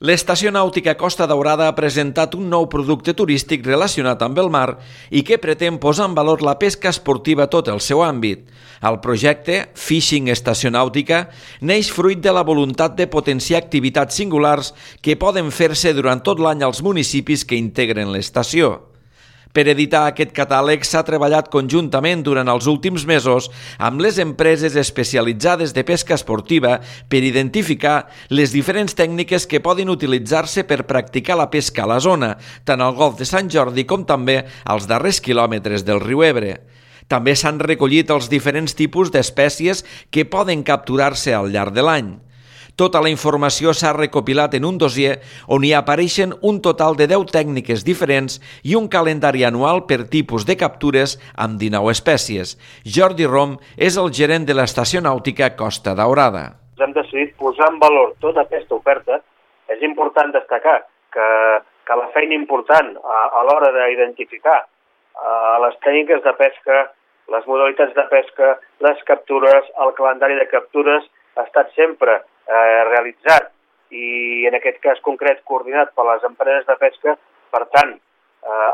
L'Estació Nàutica Costa Daurada ha presentat un nou producte turístic relacionat amb el mar i que pretén posar en valor la pesca esportiva a tot el seu àmbit. El projecte, Fishing Estació Nàutica, neix fruit de la voluntat de potenciar activitats singulars que poden fer-se durant tot l'any als municipis que integren l'estació. Per editar aquest catàleg s'ha treballat conjuntament durant els últims mesos amb les empreses especialitzades de pesca esportiva per identificar les diferents tècniques que poden utilitzar-se per practicar la pesca a la zona, tant al Golf de Sant Jordi com també als darrers quilòmetres del riu Ebre. També s'han recollit els diferents tipus d'espècies que poden capturar-se al llarg de l'any. Tota la informació s'ha recopilat en un dossier on hi apareixen un total de 10 tècniques diferents i un calendari anual per tipus de captures amb 19 espècies. Jordi Rom és el gerent de l'Estació Nàutica Costa Daurada. Hem decidit posar en valor tota aquesta oferta. És important destacar que la feina important a l'hora d'identificar les tècniques de pesca, les modalitats de pesca, les captures, el calendari de captures ha estat sempre realitzat i en aquest cas concret coordinat per les empreses de pesca. Per tant,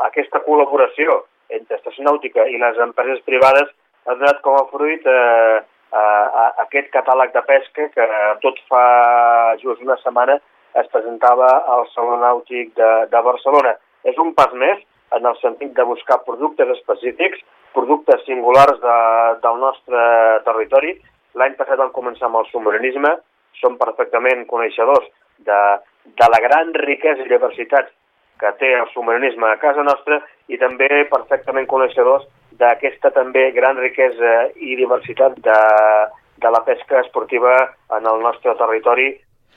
aquesta col·laboració entre Estació Nàutica i les empreses privades ha donat com a fruit aquest catàleg de pesca que tot fa just una setmana es presentava al Saló Nàutic de Barcelona. És un pas més en el sentit de buscar productes específics, productes singulars del nostre territori. L'any passat vam començar amb el submarinisme. Som perfectament coneixedors de la gran riquesa i diversitat que té el submarinisme a casa nostra i també perfectament coneixedors d'aquesta també gran riquesa i diversitat de la pesca esportiva en el nostre territori.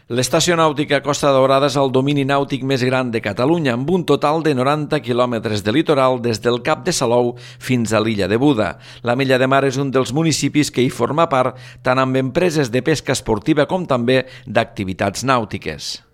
L'Estació Nàutica Costa Daurada és el domini nàutic més gran de Catalunya, amb un total de 90 quilòmetres de litoral des del Cap de Salou fins a l'illa de Buda. La Mella de Mar és un dels municipis que hi forma part tant amb empreses de pesca esportiva com també d'activitats nàutiques.